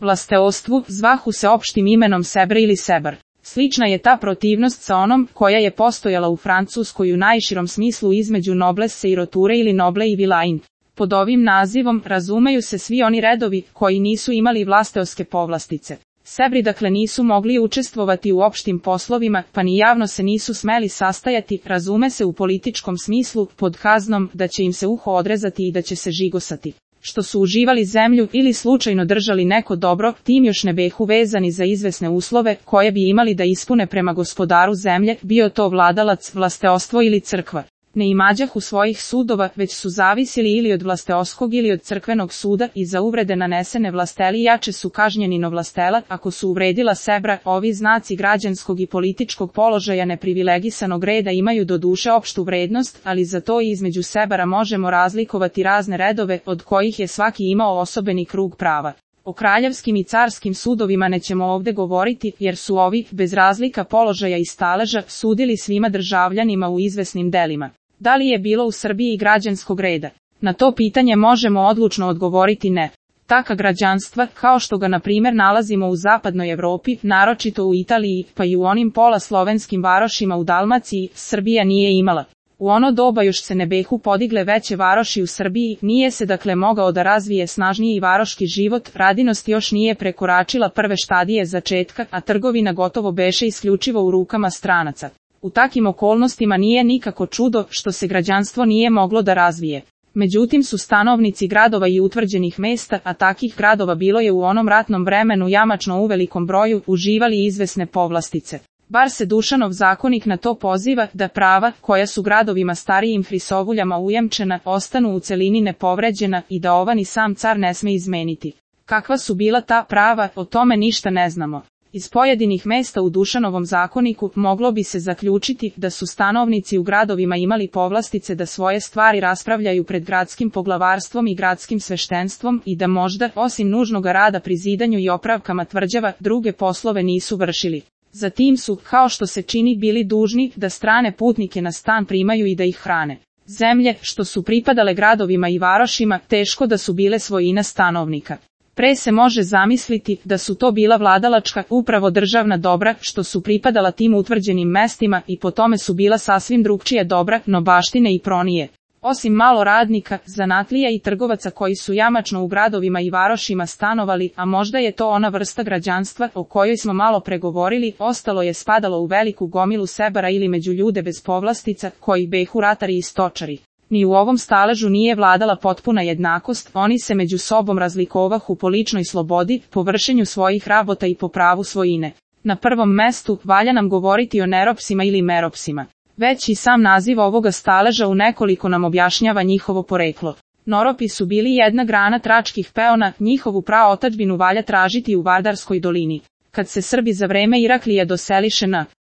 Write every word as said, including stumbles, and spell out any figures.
vlasteostvu, zvahu se opštim imenom Sebr ili Sebar. Slična je ta protivnost sa onom koja je postojala u Francuskoj u najširom smislu između noblesse i roture ili noble i vilain. Pod ovim nazivom razumeju se svi oni redovi koji nisu imali vlasteoske povlastice. Sebri dakle nisu mogli učestvovati u opštim poslovima, pa ni javno se nisu smeli sastajati, razume se u političkom smislu, pod kaznom da će im se uho odrezati i da će se žigosati. Što su uživali zemlju ili slučajno držali neko dobro, tim još ne behu vezani za izvesne uslove koje bi imali da ispune prema gospodaru zemlje, bio to vladalac, vlasteostvo ili crkva. Ne imađahu svojih sudova, već su zavisili ili od vlasteoskog ili od crkvenog suda i za uvrede nanesene vlasteli jače su kažnjeni no vlastela, ako su uvredila Sebra. Ovi znaci građanskog i političkog položaja neprivilegisanog reda imaju do duše opštu vrednost, ali za to i između Sebara možemo razlikovati razne redove, od kojih je svaki imao osobeni krug prava. O kraljevskim i carskim sudovima nećemo ovde govoriti, jer su ovi, bez razlika položaja i staleža, sudili svima državljanima u izvesnim delima. Da li je bilo u Srbiji građanskog reda? Na to pitanje možemo odlučno odgovoriti ne. Taka građanstva, kao što ga na primjer nalazimo u zapadnoj Evropi, naročito u Italiji, pa i u onim pola slovenskim varošima u Dalmaciji, Srbija nije imala. U ono doba još se ne behu podigle veće varoši u Srbiji, nije se dakle mogao da razvije snažniji varoški život, radinost još nije prekoračila prve štadije začetka, a trgovina gotovo beše isključivo u rukama stranaca. U takim okolnostima nije nikako čudo što se građanstvo nije moglo da razvije. Međutim su stanovnici gradova i utvrđenih mesta, a takih gradova bilo je u onom ratnom vremenu jamačno u velikom broju, uživali izvesne povlastice. Bar se Dušanov zakonik na to poziva, da prava, koja su gradovima starijim hrisovuljama ujamčena, ostanu u celini nepovređena i da ova ni sam car ne sme izmeniti. Kakva su bila ta prava, o tome ništa ne znamo. Iz pojedinih mesta u Dušanovom zakoniku moglo bi se zaključiti da su stanovnici u gradovima imali povlastice da svoje stvari raspravljaju pred gradskim poglavarstvom i gradskim sveštenstvom i da možda, osim nužnog rada pri zidanju i opravkama tvrđava, druge poslove nisu vršili. Zatim su, kao što se čini, bili dužni da strane putnike na stan primaju i da ih hrane. Zemlje, što su pripadale gradovima i varošima, teško da su bile svojina stanovnika. Pre se može zamisliti da su to bila vladalačka, upravo državna dobra, što su pripadala tim utvrđenim mestima i po tome su bila sasvim drugčije dobra, no baštine i pronije. Osim malo radnika, zanatlija i trgovaca koji su jamačno u gradovima i varošima stanovali, a možda je to ona vrsta građanstva o kojoj smo malo pregovorili, ostalo je spadalo u veliku gomilu Sebara ili među ljude bez povlastica, koji behu ratari i stočari. Ni u ovom staležu nije vladala potpuna jednakost, oni se među sobom razlikovahu po ličnoj slobodi, po vršenju svojih rabota i po pravu svojine. Na prvom mestu valja nam govoriti o neropsima ili meropsima. Već i sam naziv ovoga staleža u nekoliko nam objašnjava njihovo poreklo. Noropi su bili jedna grana tračkih peona, njihovu praotadžbinu valja tražiti u Vardarskoj dolini. Kad se Srbi za vreme Iraklija doseliše na